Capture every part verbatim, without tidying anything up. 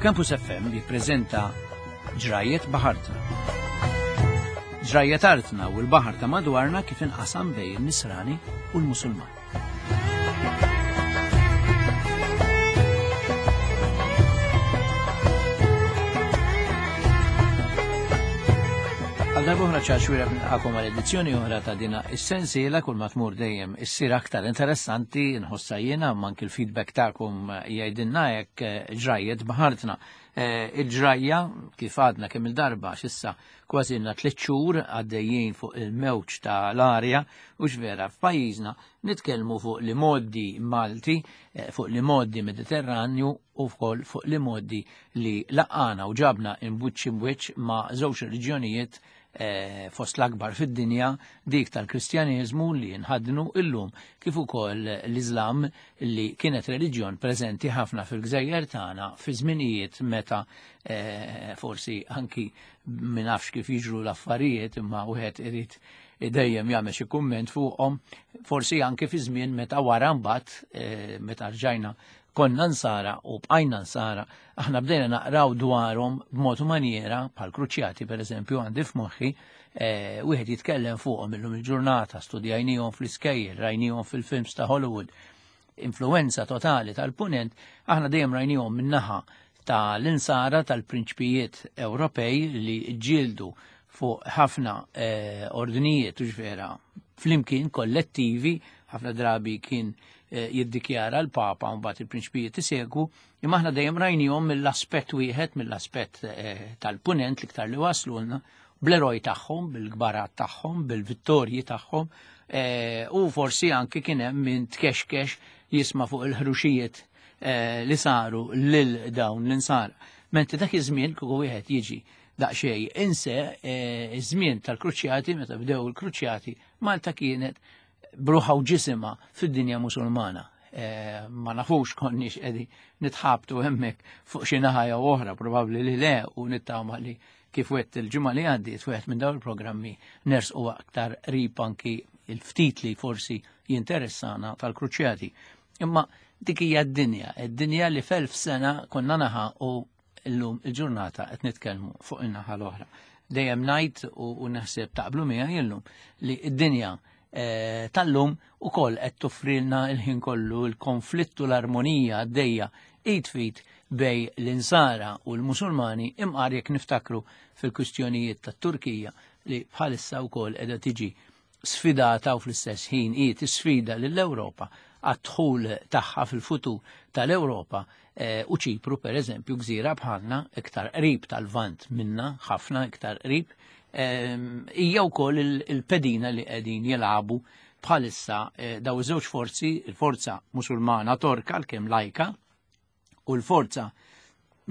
Campus F M jippreżenta Ġrajiet Baħartna. Ġrajiet artna u l-baħar ta' madwarna kif inqasam bejn in-Nisrani u l-Musulman. Għal darb'oħra Charles Xuereb nilqakom għal edizzjoni oħra ta' dina is-sensiela kull ma tmur dejjem issir aktar interessanti nħossha jiena anke l-feedback tagħkom jgħidilna hekk ġrajiet baħartna. Eh, il-ġrajja kif għadna kemm il-darba x'issa kważi ilna tliet xhur għaddejjin fuq il-mewġ tal-arja u x'vera f'pajjiżna nitkellmu fuq li modi Malti, eh, fuq li modi Mediterranju u wkoll fuq li modi li laqana u ġabna imbuċ imwiċ ma' żewġ reliġjonijiet, eh, fost l-akbar fid-dinja, dik tal-Kristjaneżmu li nħaddnu illum kif ukoll l-Iżlam li kienet reliġjon preżenti ħafna fil-gżejjer tagħna fi żminijiet meta, eh, forsi anki min nafx kif jiġru l-affarijiet imma wieħed irid dejjem jagħmel xi kumment fuqhom, forsi anki fi żmien meta wara mbagħad, eh, meta rġajna konna nsara u bqajna nsara, aħna bdejna naqraw dwarhom b'mod u maniera bħal kruċjati pereżempju għandi f'moħħi, eh, wieħed jitkellem fuqhom illum il-ġurnata, studjajnihom fl-iskejjel, rajnihom fil-films ta' Hollywood, influenza totali tal-punent, aħna dejjem rajnihom min-naħa tal-insara tal-prinċpijiet Ewropej li ġġieldu fuq ħafna, eh, ordnijiet u ġvera flimkien kollettivi, ħafna drabi kien, eh, jiddikjara l-Papa u mbagħad il-prinċpijiet isegwu, imma aħna dejjem rajnihom mill-aspett wieħed, mill-aspett, eh, tal-punent l-iktar li waslulna, bl-eroj tagħhom, bil-kbarat tagħhom, bil-vittorji tagħhom, eh, u forsi anki kien hemm min tkexkex jisma' fuq il-ħruxijiet, eh, li saru lil dawn l-insara. Mentri dak iż-żmien kieku wieħed jiġi daqsxejn inse, eh, iż-żmien tal-kruċjati, meta bdew il-kruċjati, Malta kienet bruħa u ġisimha fid-dinja Musulmana. Eh, ma nafux konniex qegħdin nitħabtu hemmhekk fuq xi naħa jew oħra, probabbli li le, u nittama li kif wett il-ġimgħa li għaddiet wieħed minn dawn il-programmi nersqu aktar qrib anki il-ftit li forsi jinteressana tal-kruċjati. Imma dik hija d-dinja, id-dinja li f'elf sena konna naħa u llum il-ġurnata qed nitkellmu fuq in-naħa l-oħra. Dejjem ngħid u, u naħseb taqblu miegħi illum li d-dinja, eh, tal-lum ukoll qed toffrilna l-ħin kollu l-konflittu l-armonija għaddejja id fit bej l-insara u l-Musulmani, imqar jekk niftakru fil-kwistjonijiet tat-Turkija li bħalissa wkoll qiegħda tiġi sfidata u fl-istess ħin hi tisfida lill-Ewropa għad-dħul tagħha fil-futur tal-Ewropa, eh, u Ċipru pereżempju gżira bħalna iktar qrib tal-Lvant minna, ħafna iktar qrib, ehm, hija wkoll il-, il-pedina li qegħdin jilagħbu bħalissa, eh, daw iż-żewġ forzi, il-forza Musulmana Torka għalkemm lajka u l-forza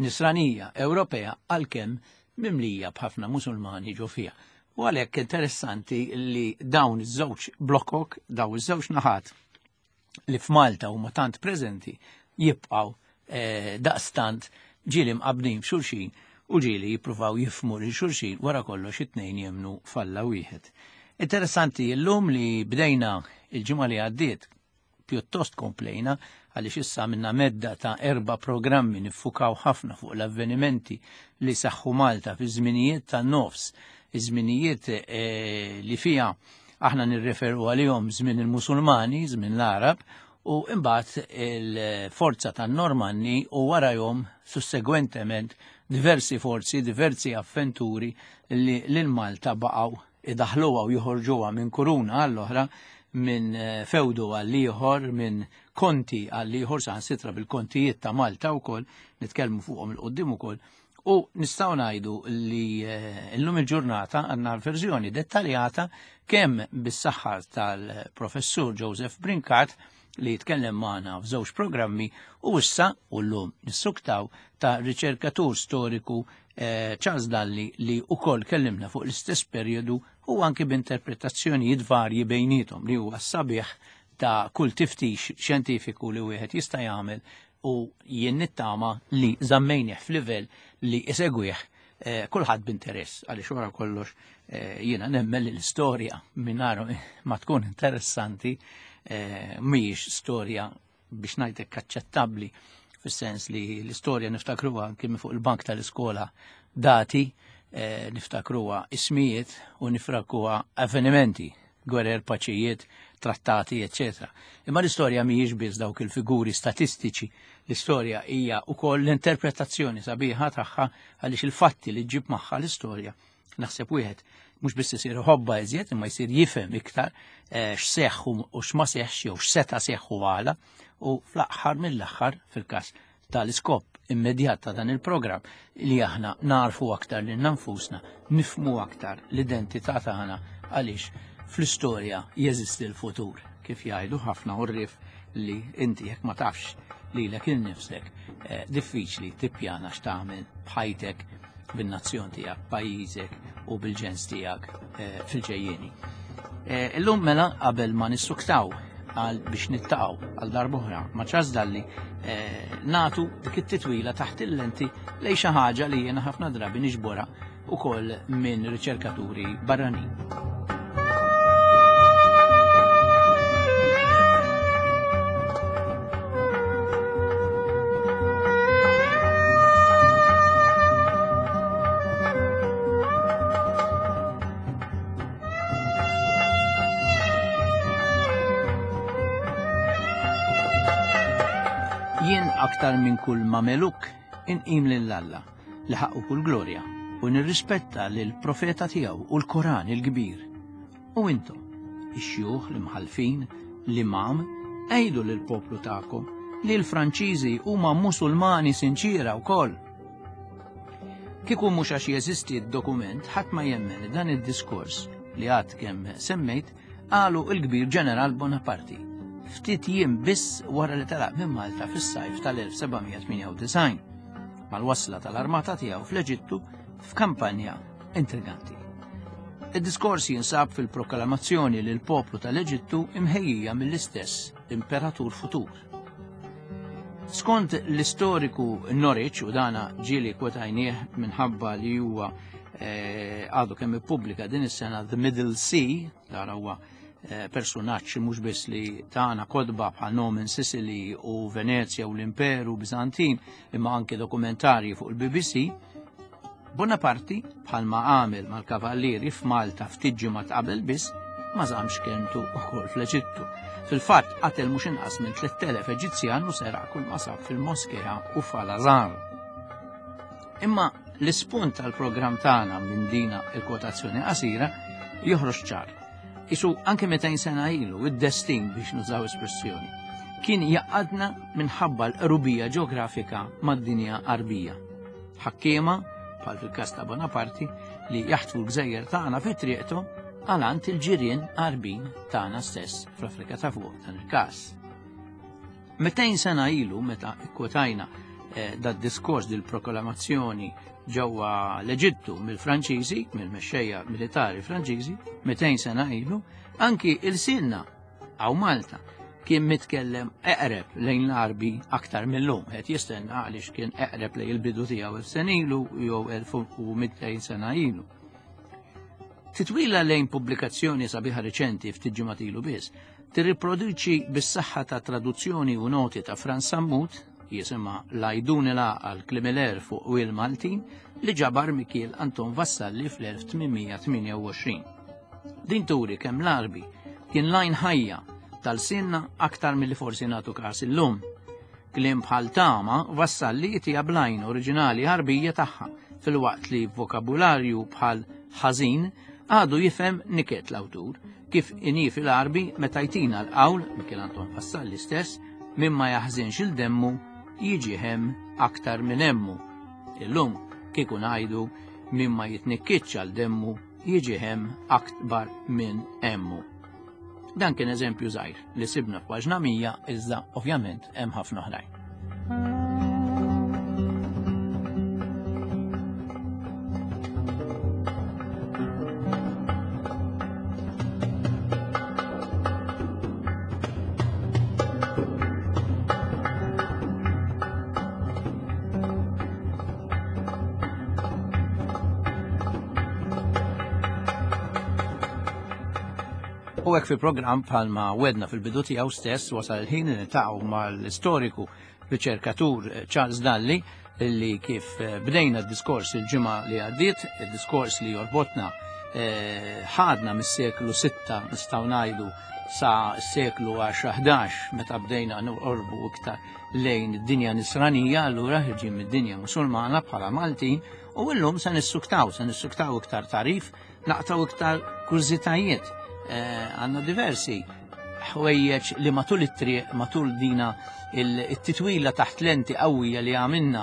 Nisranija Ewropea għalkemm mimlija b'ħafna Musulmani ġo fiha. U għalhekk interessanti li dawn iż-żewġ blokok, dawn iż-żewġ naħat li f'Malta huma tant preżenti jibqgħu, eh, daqstant ġieli mqabbdin f'xulxin u ġieli jippruvaw jifhmu lil xulxin wara kollox it-tnejn jemnu f'Alla wieħed. Interessanti llum li bdejna il-ġimgħa li għaddiet pjuttost komplejna għaliex issa minna medda ta' erba' programmi niffukaw ħafna fuq l-avvenimenti li saħħu Malta fi żminijiet ta' nofs, iż-żminijiet, eh, li fiha aħna nirreferu għalihom żmien il-Musulmani, żmien l-Arab, u imbagħad il-forza tan-Normanni u warahom sussegwentement diversi forzi, diversi avventuri li lil Malta baqgħu idaħluha u joħorġuha minn kuruna għall-oħra, minn, eh, fewdu għall-ieħor, minn konti għall-ieħor, saħansitra bil-kontijiet ta' Malta wkoll, nitkellmu fuqhom il-qudiem ukoll. U nistgħu ngħidu li, eh, llum il-ġurnata għandna verżjoni dettaljata kemm bis-saħħa tal-professur Joseph Brincat li jitkellem magħna f'żewġ programmi u issa u llum nissuktaw ta' riċerkatur storiku, eh, Charles Dalli li wkoll kellimna fuq l-istess perjodu u anki b'interpretazzjonijiet varji bejniethom li huwa sabiħ ta' kull tiftix xjentifiku li wieħed jista' jagħmel u jien nittama li żammejnih f'livell li isegwih, eh, kulħadd b'interess għaliex wara kollox, eh, jiena nemmen li l-istorja mingħajr ma tkun interessanti, eh, mhijiex storja biex ngħidlek aċċettabbli fis-sens li l-istorja niftakruha anke minn fuq il-bank tal-iskola dati, eh, niftakruha ismijiet u niftakruha avvenimenti, gwerer, paċijiet, trattati, eċċetera. Imma l-istorja mhijiex biss dawk il-figuri statistiċi, l-istorja hija wkoll l-interpretazzjoni sabiħa tagħha għaliex il-fatti li ġġib magħha l-istorja naħseb wieħed mhux biss isir ħobba iżjed imma jsir jifhem iktar eh, x'seħħ u x'ma seħħx jew x'seta' seħħ u għala u fl-aħħar mill-aħħar fil-każ tal-iskop immedjat ta' dan il-programm li aħna narfu aktar lil nfusna, nifhmu aktar l-identità tagħna għaliex fl-istorja jeżisti l-futur, kif jgħidu ħafna għorrief li inti jekk ma tafx lilek innifsek eh, diffiċli tippjana x'tagħmel b'ħajtek, bin-nazzjon tiegħek, pajjiżek u bil-ġens tiegħek eh, fil-ġejjieni. Eh, illum mela qabel ma nissuktaw għal biex nittaqgħu għal darb'oħra ma' Charles Dalli eh, natu dik it-titwila taħt il-lenti lejn xi ħaġa li jiena ħafna drabi niġborha ukoll minn riċerkaturi barranin. Jien aktar minn kull mameluk inqim lil Alla li ħaqqu kull glorja u nirrispetta lil profeta tiegħu u l-Koran il-kbir. U intom, ix-xjuħ, l-imħallfin, l-imam, għidu lil poplu tagħkom li l-Franċiżi huma Musulmani sinċira wkoll. Kieku mhux għax jeżisti d-dokument, ħadd ma jemmen li dan id-diskors li għad kemm semmejt qalu l-kbir Ġeneral Bonaparte ftit jiem biss wara li telaq minn Malta fis-sajf tal-elf seba' mija tmienja u disgħin mal-wasla tal-armata tiegħu fl-Eġittu f'kampanja intriganti. Id-diskors jinsab fil-proklamazzjoni lil poplu tal-Eġittu imħejjija mill-istess imperatur futur. Skont l-istoriku Norwich, u dana ġieli kwotajnieh minħabba li huwa, eh, għadu kemm ippubblika din is-sena The Middle Sea, dan huwa, eh, personaġġ mhux biss li tana kodba bħal Nomen Sicily u Venezia u l-Imperu Bizantin, imma anke dokumentarji fuq il-B B C, Bonaparte, bħalma għamel mal-kavallieri f'Malta ftit ġimgħat qabel biss, ma żamx kelmtu wkoll fl-Eġittu. Fil-fatt qatel mhux inqas minn tliet elef Eġizzjan u seraq kull ma sab fil-moskea u f'Al-Azhar. Imma l-ispunt tal-programm tagħna minn dina il-kwotazzjoni qasira joħroġ ċar. Isu anke mitejn sena ilu id-destin biex nużaw espressjoni kien jaqadna minħabba l-qrubija ġeografika mad-dinja Arbija. Ħakkiema, bħal fil-każ ta' Bonaparte, li jaħtfu l-gżejjer tagħna fi triqthom għal għand il-ġirien Arbin tagħna stess fl-Afrika ta' fuq dan il-każ. Mitejn sena ilu meta kkwotajna, eh, dad diskors dil-proklamazzjoni ġewwa l-Eġittu mill-Franċiżi, mill-mexxejja militari Franċiżi, mitejn sena ilu, anki il-sinna għaw Malta kien mitkellem eqreb lejn l-Arbi aktar mill-lum, qed jistenna għaliex kien eqreb lejn il-bidu tiegħu elf sena ilu jew elf u mitejn sena ilu. Titwila lejn pubblikazzjoni sabiħa reċenti ftit ġimgħat ilu biss, tirriproduċi bis-saħħa ta' traduzzjoni u noti ta' Frans Sammut, jisimha Lajdun il-Għaqal Klimiler fuq Wil Maltin, li ġabar Mikiel Anton Vassalli fl-elf tmien mija tmienja u għoxrin. Din turi kemm l-Arbi kien lajn ħajja tal-sinna aktar milli forsi nagħtu każ illum. Kliem bħal tama Vassalli jitija blajn oriġinali Arbija tagħha, filwaqt li vokabularju bħal ħażin għadu jifhem niket l-awtur, kif inhi fil-Arbi meta jtina l-qawl Mikiel Anton Vassalli stess minn ma jaħżinx il-demmu jiġi hemm aktar minn hemmu. Illum kieku ngħidu min ma jitnikkitx għal demmu jiġi hemm akbar minn hemmu. Dan kien eżempju żgħir li sibna f'paġna mija, iżda ovvjament hemm ħafna oħrajn. U hekk fil-programm bħalma wedna fil-bidu tiegħu stess wasal il-ħin li niltaqgħu mal-istoriku riċerkatur Charles Dalli, li kif bdejna d-diskors il-ġimgħa li għaddiet, il-diskors li jorbotna ħadna mis-seklu sitta nistgħu ngħidu sa s-seklu għaxra ħdax meta bdejna norbu iktar lejn id-dinja nisranija, allura ħirġin mid-dinja musulmana bħala Maltin, u llum se nissuktaw, se nissuktaw iktar tarif, naqtaw iktar kurżitajiet. Għandna diversi ħwejjeġ li matul it-triq, matul dina it-titwila taħt lenti qawwija li għamilna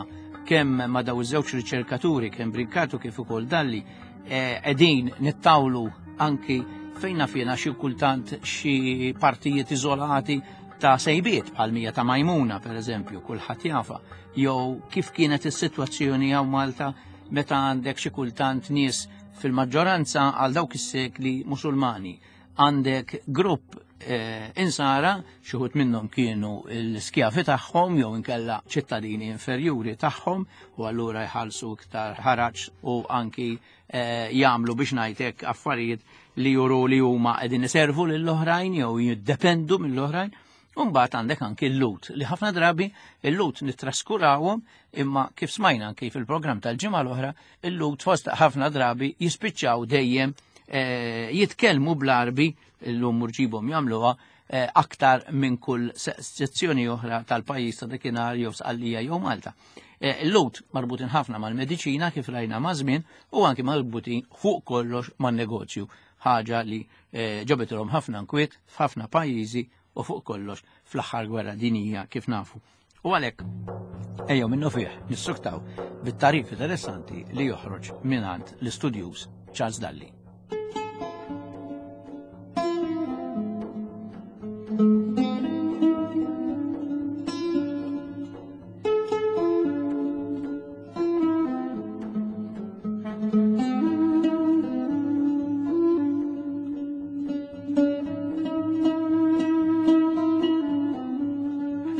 kemm ma daw iż-żewġ riċerkaturi, kemm Brincatu kif ukoll Dalli, qegħdin nittawlu anki fejna fjena xi kultant xi partijiet iżolati ta' sejbiet bħal mija ta' Majmuna pereżempju, kulħadd jafa, jew kif kienet is-sitwazzjoni hawn Malta meta għandek xi kultant nies fil-maġġoranza għal dawk is-sekli Musulmani. Għandek grupp eh, insara, xi wħud minnhom kienu l-skjavi tagħhom jew inkella ċittadini inferjuri tagħhom, u allura jħallsu iktar ħaraġ u anki eh, jagħmlu biex ngħidlek affarijiet li juru li huma qegħdin iservu lill-oħrajn jew jiddependu mill-oħrajn. U mbagħad għandek anki l-Lut, li ħafna drabi l-Lut nittraskurawhom, imma kif smajna anki fil-programm tal-ġimgħa l-oħra, il-Lut fost ħafna drabi jispiċċaw dejjem eh, jitkellmu bl-Arbi, illum murġibhom jagħmluha eh, aktar minn kull sezzjoni oħra tal-pajjiż ta' dakinhar jew Sqallija jew Malta. Eh, Il-Lut marbutin ħafna mal-mediċina kif rajna ma' żmien u anki marbutin fuq kollox man-negozju, ħaġa li eh, ġabitilhom ħafna nkwiet f'ħafna pajjiżi u fuq kollox fl-aħħar gwerra dinjija kif nafu. U għalhekk ejjew minnu fih nissuktaw bit-tarif interessanti li joħroġ mingħand l-istudjuż Charles Dalli.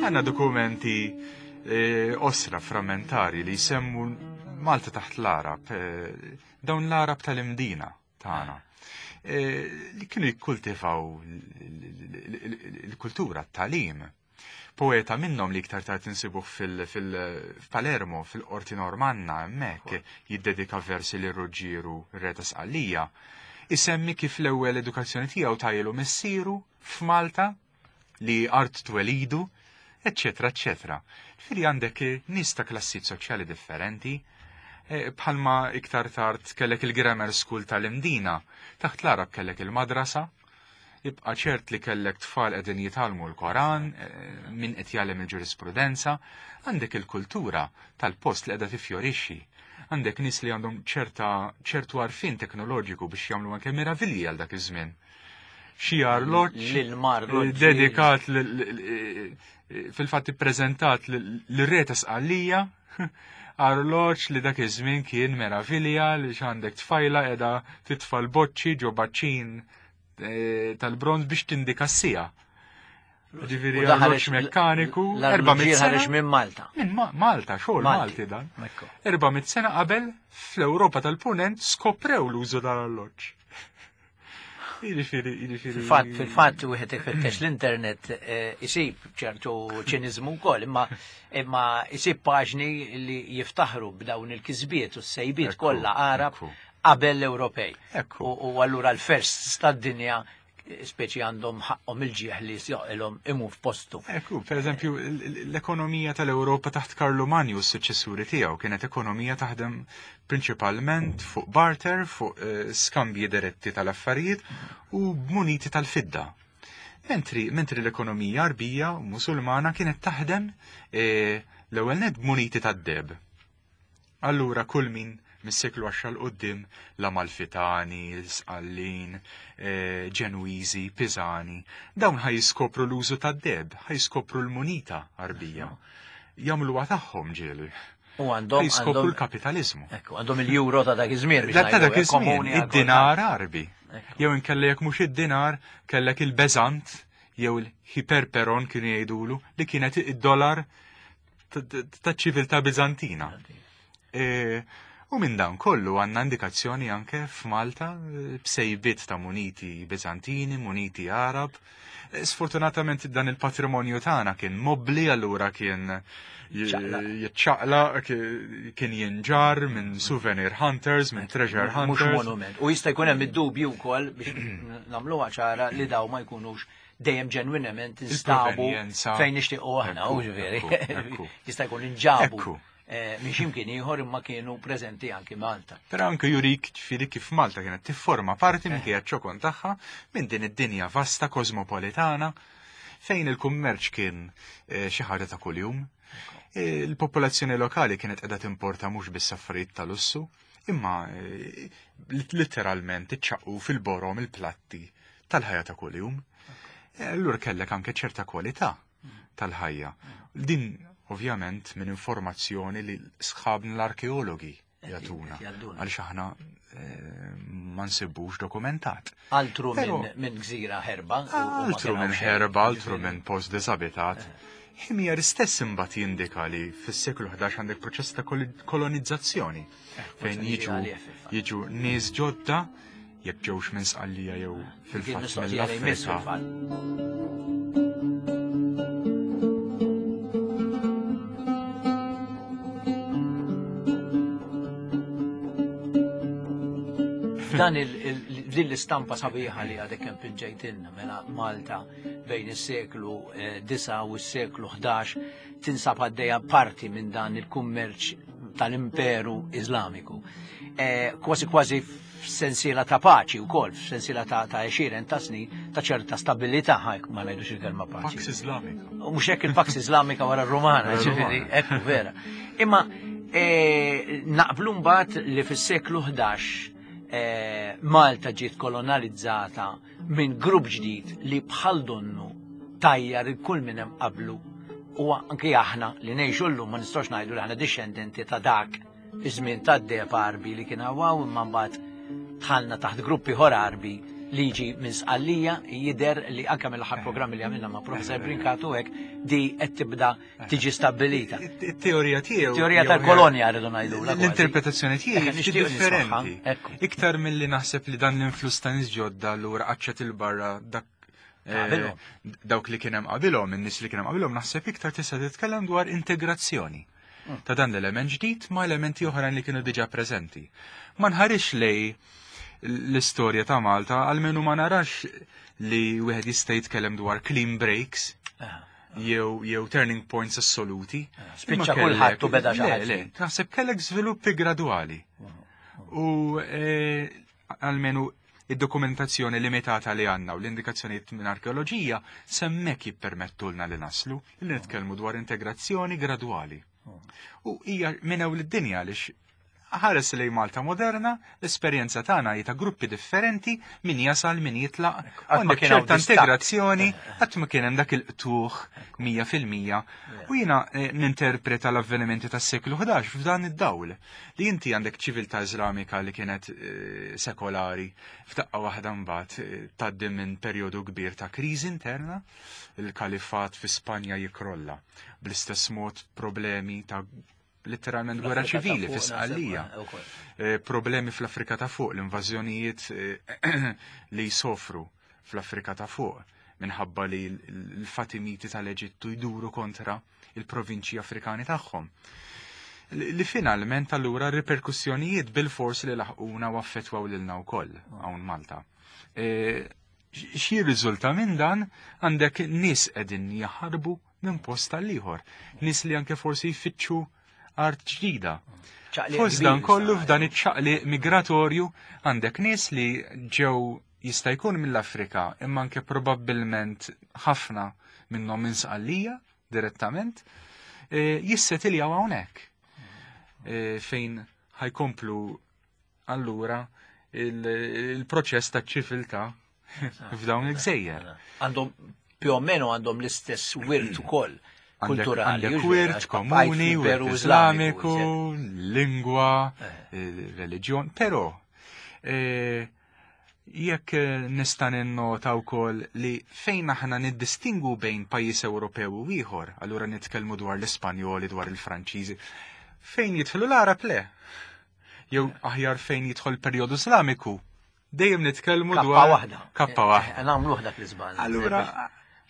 Għanna dokumenti eh, osra frammentari li jsemmu Malta taħt l-Arab, eh, dawn l-Arab tal-Imdina tagħna, eh, li kienu jikkultivaw l-kultura, t-talim. Poeta minnhom li iktar tard insibuh fil-Palermo, fil-Qorti Normanna, hemmhekk jiddedika versi lil Ruġġieru re ta' Sqallija, isemmi kif l-ewwel edukazzjoni tiegħu tajlu missieru f'Malta li art twelidu, eccetera, eccetera. Fili għandek nies ta' klassijiet soċjali differenti, bħalma iktar tard kellek il-grammar school tal-Imdina, taħt l-Arab kellek il-madrasa, ibqa' ċert li kellek tfal qegħdin jitgħallmu l-Koran, min qed jgħallem il-ġurisprudenza, għandek il-kultura tal-post li qiegħda tifjorixxi. Għandek nies li għandhom ċerta ċertu għarfien teknoloġiku biex jagħmlu anke meravilji għal dak iż-żmien. Xi arloġġ dedikat fil-fatt ippreżentat lir-re ta' Sqallija, arloġġ li dak iż-żmien kien meravilja li x'għandek tfajla qiegħda titfa' l-boċċi ġo baċċin tal-bronz biex tindika s-sija. Ġifieri arloġġ mekkaniku, erba' mitt sena minn Malta. Minn Malta, xogħol Malti dan. Erba' mitt sena qabel fl-Ewropa tal-Punent skoprew l-użu tal-arloġġ. Jiġifieri, jiġifieri. Fil-fatt, fil-fatt wieħed ifittex l-internet isib ċertu ċiniżmu wkoll, imma imma isib paġni li jiftaħru b'dawn il-kisbiet u s-sejbiet kollha Arab qabel l-Ewropej. U allura l-first tad-dinja speċi għandhom ħaqhom il-ġieħ li joqilhom imu f'postu. Ekku, per eżempju, l-ekonomija tal-Ewropa taħt Karlu Manju s suċċessuri tiegħu kienet ekonomija taħdem prinċipalment fuq barter, fuq skambji diretti tal-affarijiet u b'muniti tal-fidda. Mentri, mentri l-ekonomija Arbija u Musulmana kienet taħdem l-ewwel nett b'muniti tad-deb. Allura kull min mis-seklu għaxra l qudiem l-Amalfitani, l-Sqallin, Ġenwiżi, Pisani, dawn ħaj jiskopru l-użu tad-deb, ħaj jiskopru l-munita Arbija. Jagħmluha tagħhom ġieli. U għandhom jiskopru l-kapitaliżmu. Ekku, għandhom il-euro ta' dak iż-żmien biex Ta' dak iż-żmien, id-dinar Arbi. Jew inkella jekk mhux id-dinar, kellek il-beżant jew il-hiperperon kienu jgħidulu li kienet id-dollar taċ-ċiviltà Biżantina. U minn dan kollu għandna indikazzjoni anke f'Malta b'sejbiet ta' muniti Bizantini, muniti Arab. Sfortunatament dan il-patrimonju tagħna kien mobbli, allura kien jiċċaqlaq, kien jinġar minn souvenir hunters, minn treasure hunters. Mhux monument. U jista' jkun hemm id-dubju wkoll biex nagħmluha ċara li daw ma jkunux dejjem ġenwinament instabu fejn nixtiequ aħna, u ġifieri. Jista' jkun inġabu minn x'imkien ieħor imma kienu preżenti anki Malta. Però anke jurik ġifieri kif Malta kienet tifforma parti minn kienet ċokon tagħha minn din id-dinja vasta kosmopolitana fejn il-kummerċ kien xi ħaġa ta' kuljum. Il-popolazzjoni lokali kienet qiegħda timporta mhux biss affarijiet ta' lussu, imma letteralment iċċaqqu fil-borom il-platti tal-ħajja ta' kuljum. Allura kellek anke ċerta kwalità tal-ħajja. Din ovvjament minn informazzjoni li sħabna l-arkeologi jagħtuna, għaliex aħna ma nsibux dokumentat. Altru minn gżira ħerba. Altru minn ħerba, altru minn post disabitat. Ħimjar istess imbagħad jindika li fis-seklu ħdax għandek proċess ta' kolonizzazzjoni fejn jiġu jiġu nies ġodda jekk ġewx minn Sqallija jew fil-fatt mill-Afrika. Dan din l-istampa sabiħa li għadek kemm pinġejtilna mela Malta bejn is-seklu disa' u s-seklu ħdax tinsab għaddejja parti minn dan il-kummerċ tal-Imperu Iżlamiku. Kważi kważi f'sensiela ta' paċi wkoll, f'sensiela ta' għexieren ta' snin ta' ċerta stabilità, ħajk ma ngħidux il-kelma paċi. Pax Iżlamika. U mhux hekk il-Pax Iżlamika wara r-Rumana, ġifieri, hekk vera. Imma naqblu mbagħad li fis-seklu ħdax Malta ġiet kolonizzata minn grupp ġdid li bħal donnu tajjar il-kull minn hemm qablu, u anke aħna li ngħixu llum ma nistgħux ngħidu li aħna dixxendenti ta' dak iż-żmien tad-deheb Arbi li kien hawn, imma mbagħad dħalna taħt gruppi ħor Arbi li jiġi minn Sqallija. Jidher li anke mill-aħħar programmi li għamilna ma' Professor Brincatu hekk di qed tibda tiġi stabbilita. It-teorija tiegħu. Teorija tal-kolonja rridu ngħidu. L-interpretazzjoni tiegħi differenti. Iktar milli naħseb li dan l-influss ta' nies ġodda allura qaċċet il-barra dak dawk li kien hemm qabilhom, in-nies li kien hemm qabilhom, naħseb iktar tista' titkellem dwar integrazzjoni ta' dan l-element ġdid ma' elementi oħrajn li kienu diġà preżenti. Ma nħarix lej l-istorja ta' Malta, għalmenu ma narax li wieħed jista' jitkellem dwar clean breaks jew jew turning points assoluti. Spiċċa kulħadd u beda xi ħaġa. Naħseb kellek żviluppi gradwali. U għalmenu id-dokumentazzjoni limitata li għandna u l-indikazzjonijiet minn arkeoloġija semmek jippermettulna li naslu li nitkellmu dwar integrazzjoni gradwali. U hija minn hawn lid-dinja għaliex ħares lej Malta moderna, l-esperjenza tagħna hi ta' gruppi differenti, min jasal, min jitlaq, għandek ċerta integrazzjoni, qatt ma kien hemm dak il-qtuħ mija fil-mija. U jiena ninterpreta l-avvenimenti tas-seklu ħdax f'dan id-dawl li inti għandek ċiviltà Iżlamika li kienet sekolari, f'daqqa waħda mbagħad tgħaddi minn perjodu kbir ta' kriżi interna, il-kalifat fi Spanja jikrolla. Bl-istess mod problemi ta' letteralment gwerra ċivili fi Sqallija, problemi fl-Afrika ta' fuq, l-invażjonijiet li jsofru fl-Afrika ta' fuq minħabba li l-Fatimiti tal-Eġittu jduru kontra il-provinċji Afrikani tagħhom. Li finalment allura riperkussjonijiet bil-fors li laħquna u affettwaw lilna wkoll hawn Malta. Xi riżulta minn dan għandek nies qegħdin jaħarbu minn post tal-ieħor, nies li anke forsi jfittxu art ġdida. Fost dan kollu f'dan iċ-ċaqliq migratorju għandek nies li ġew jista' jkun mill-Afrika, imma anke probabbilment ħafna minnhom minn Sqallija direttament, jissetiljaw hawnhekk. Fejn ħajkomplu allura il-proċess ta' ċiviltà f'dawn il-gżejjer. Għandhom più o meno għandhom l-istess wirt ukoll. Kulturali, għandek wirt komuni, wirt Iżlamiku, lingwa, reliġjon, però jekk nista' ninnota wkoll li fejn aħna niddistingu bejn pajjiż Ewropew u ieħor, allura nitkellmu dwar l-Ispanjoli, dwar il-Franċiżi, fejn jidħlu l-Arab le. jew aħjar fejn jidħol perjodu Islamiku, dejjem nitkellmu Kappa dwar waħda. Kappa waħda. Nagħmluh dak l-iżball. Allura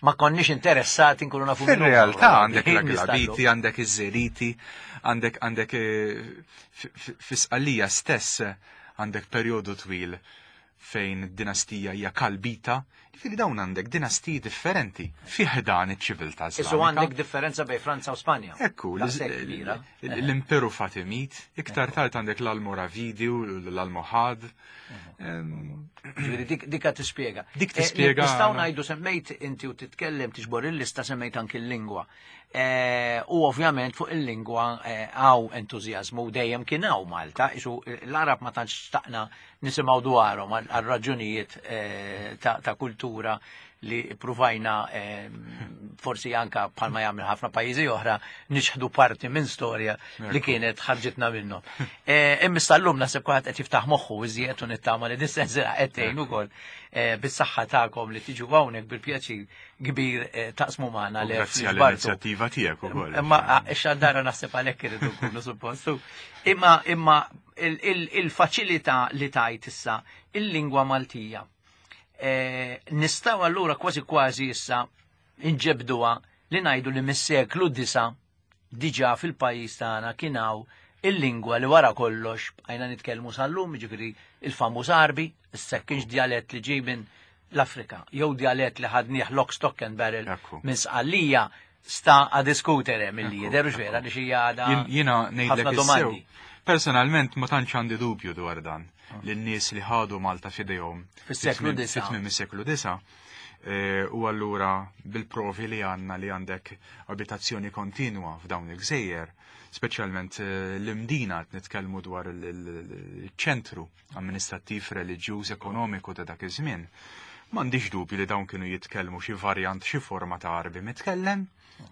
ma konniex interessati nkunu nafu min huma. Fil-realtà għandek Nistallu. l-Aglabiti, għandek iż-Żeriti, għandek għandek eh, fi- fi- fi-Sqallija stess għandek perjodu twil fejn id-dinastija hija Kalbita, ġifieri dawn għandek dinastiji differenti fi ħdan iċ-ċiviltà Isu Islamika. għandek differenza bejn Franza u Spanja. Ekku, Daqshekk kbira. l-Imperu Fatimid, iktar tard għandek l-Almoravidi u l-Almohad. Em, Ġifieri dik dikka tispjega. Dik Eh, tispjega- Nistgħu ngħidu semmejt inti u titkellem tiġbor il-lista semmejt anki l-lingwa. Eh, U ovvjament fuq il-lingwa eh, hawn entużjażmu u dejjem kien hawn Malta, isu l-Arab ma tantx xtaqna nisimgħu dwarhom għal għal raġunijiet eh, ta' ta' kultura li pruvajna eh, forsi anka bħalma jagħmel ħafna pajjiżi oħra niċħdu parti minn storja li kienet ħarġitna minnhom. Eh, Imma sal-lum naħseb kulħadd qed jiftaħ moħħu iżjed u nittama li dis-sensiela qed tgħin ukoll eh, bis-saħħa tagħkom li tiġu hawnhekk bil-pjaċir kbir eh, taqsmu magħna u li Grazzi ġbartu. għall-inizjattiva tiegħek ukoll. Imma ix-xandara naħseb għalhekk irridu nkunu suppostu. Imma imma il- il- il-faċilità li tajt issa il-lingwa Maltija. Eh, Nistgħu allura kważi kważi issa inġebduha li ngħidu li mis-seklu disa diġà fil-pajjiż tagħna kien hawn il-lingwa li wara kollox bqajna nitkellmu sal-lum, jiġifieri il-famuż Arbi, issa kienx djalett li ġej minn l-Afrika, jew djalett li ħadnieh lock, stock and barrel Ekku. minn Sqallija sta a diskutere mill-li Ekku, jidher ekku. vera li xi għada Jien- Jiena ngħidlek ħafna is-sew. domandi. Personalment ma tantx għandi dubju dwar dan li n-nies li ħadu Malta f'idejhom Fis-seklu disa. fit-tmiem is-seklu disa. eh, U allura bil-provi li għandna li għandek abitazzjoni kontinwa f'dawn il-gżejjer, speċjalment eh, l-Imdina qed nitkellmu dwar il- il- il-ċentru amministrattiv, reliġjuż, ekonomiku ta' dak iż-żmien. M'għandix dubju li dawn kienu jitkellmu xi varjant, xi forma ta' Arbi mitkellem.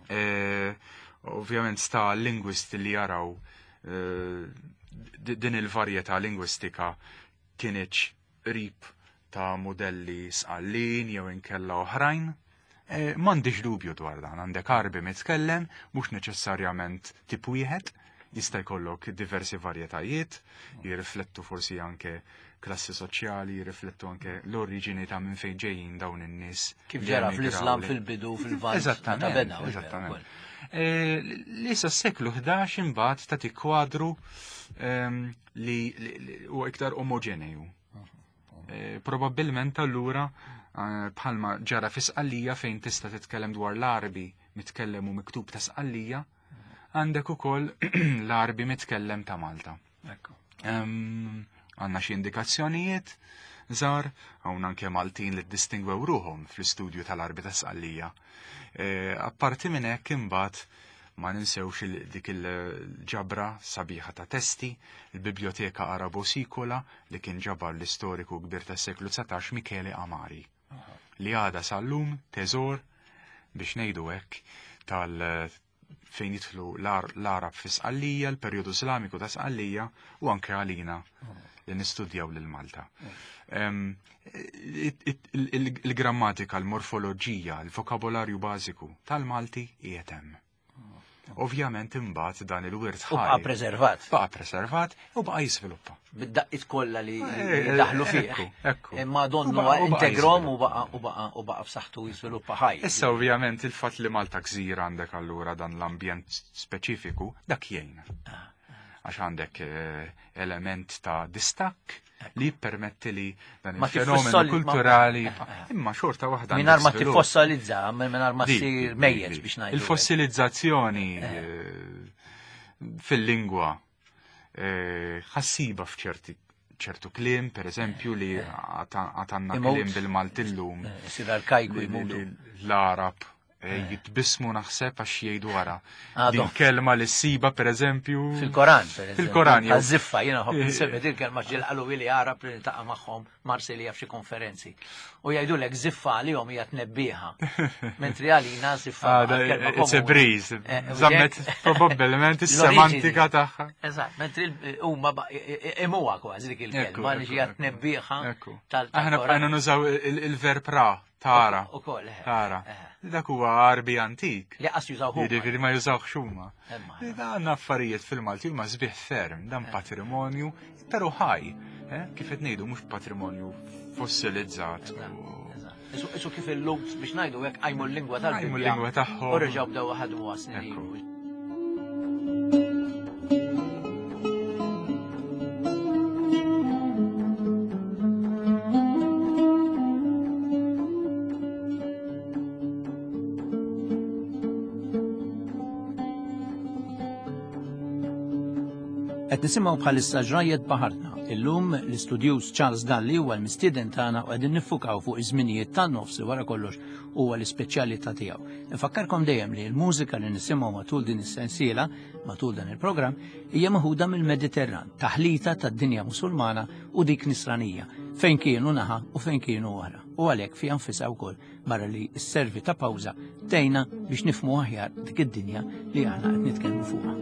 Eh, Ovvjament sta lingwisti li jaraw eh, di- din il-varjetà lingwistika kienieċ qrib ta' modelli sqallin jew inkella oħrajn. Eh, M'għandix dubju dwar dan, għandek Arbi mitkellem, mhux neċessarjament tip wieħed, jista' jkollok diversi varjetajiet, jirriflettu forsi anke klassi soċjali, jirriflettu anke l-oriġini ta' minn fejn ġejjin dawn in-nies. Kif li ġara emigraw fl-Islam li- fil-bidu fil-Lvant. meta Eżattament, beda, u vera eżattament. wkoll. Eh, Li sa seklu ħdax imbagħad tagħti kwadru ehm, li li- li huwa iktar omogeneju. Eh, Probabbilment allura eh, bħalma ġara fi Sqallija fejn tista' titkellem dwar l-Arbi mitkellem u miktub ta' Sqallija, għandek ukoll l-Arbi mitkellem ta' Malta. Ekku. Ehm, Għanna xi indikazzjonijiet żgħar, hawn anke Maltin li ddistingwew ruhom fl-istudju tal-Arbi ta' Sqallija. Eh, Apparti minn hekk imbagħad ma ninsewx il- dik il-ġabra sabiħa ta' testi, il-Biblioteka Arabo Sikola li kien ġabar l-istoriku kbir tas-seklu dsatax Michele Amari, li għada sal-lum teżor biex ngħidu hekk tal fejn jidħlu l-Ar- l-Arab fi Sqallija, l-perjodu Islamiku ta' Sqallija u anke għalina li nistudjaw lil Malta. Em, it- it- il- il- Il-grammatika, il-morfoloġija, il-vokabolarju bażiku tal-Malti qiegħed hemm. Ovvjament imbagħad dan il-wirt U baqa ħaj preservat. baqa preservat u baqa jiżviluppa. Bid-daqqiet kollha li Eh, li daħlu fih. ekku, ekku. Imma donnu U baqa- u baqa integrom u jiżviluppa. baqa u baqa u baqa b'saħħtu jiżviluppa ħaj. Issa ovvjament il-fatt li Malta gżira għandek allura dan l-ambjent speċifiku, dak jgħin. Għax għandek eh, element ta' distakk li jippermetti li dan Ma il-fenomenu tiffossali- ma- kulturali imma xorta waħda Mingħajr ma għandek żvilupp. tiffossilizza, mingħajr ma Dik, ssir dik, mejjet dik. biex ngħidu. Il-fossilizzazzjoni eh, fil-lingwa eh, ħassiba f'ċerti ċertu kliem, per eżempju, li għatanna Imut. kliem bil-Maltillum Sir arkajku li- li- jmutu. li l-Arab eh, jitbismu naħseb għax jgħidu wara. Għadhom. Din kelma li ssiba per eżempju. Fil-Koran, per eżempju. Fil-Koran, jew- Għaż-żiffa, jiena ħobb nsemmi din kelma ġil qalu li Arab li niltaqa' magħhom Marsilja f'xi konferenzi. U jgħidulek żiffa għalihom hija tnebbiħa. Mentri għalina żiffa Ah, da- kelma It's a komuni. breeze. Eh, u Zammet jekk- probabbilment L-oriġini. is-semantika tagħha. Eżatt, mentri l- huma ba- i- i- imuha kważi dik Ekku, il-kelma li ekku, hija ekku. tnebbiħa Ekku. tal Aħna tal-Koran. bqajna nużaw il- il-verb ra. Tara. Ukoll, eh. Tara. Eh. Dak huwa Għarbi antik. Li qas jużaw huma. Jiġifieri ma jużawx huma. Imma. Dan affarijiet fil-Malti huma sbieħ ferm, dan patrimonju, però ħaj, eh, kif qed ngħidu mhux patrimonju fossilizzat. u- Isu isu kif il-Lhud biex ngħidu hekk qajmu l-lingwa tal Qajmu l-lingwa tagħhom. U reġgħu bdew ħadmu snin Ekku. ilu. Qed nisimgħu bħalissa ġrajjet baħarna. Illum l-istudjuż Charles Dalli huwa l-mistieden tagħna u qegħdin niffukaw fuq iż-żminijiet tan-nofs li wara kollox huwa l-ispeċjalità tiegħu. Infakkarkom dejjem li l-mużika li nisimgħu matul din is-sensiela, matul dan il-programm, hija maħuda mill-Mediterran, taħlita tad-dinja Musulmana u dik Nisranija, fejn kienu naħa u fejn kienu oħra. U għalhekk fiha nfisha wkoll barra li s-servi ta' pawża tgħinna biex nifhmu aħjar dik id-dinja li aħna qed nitkellmu fuqha.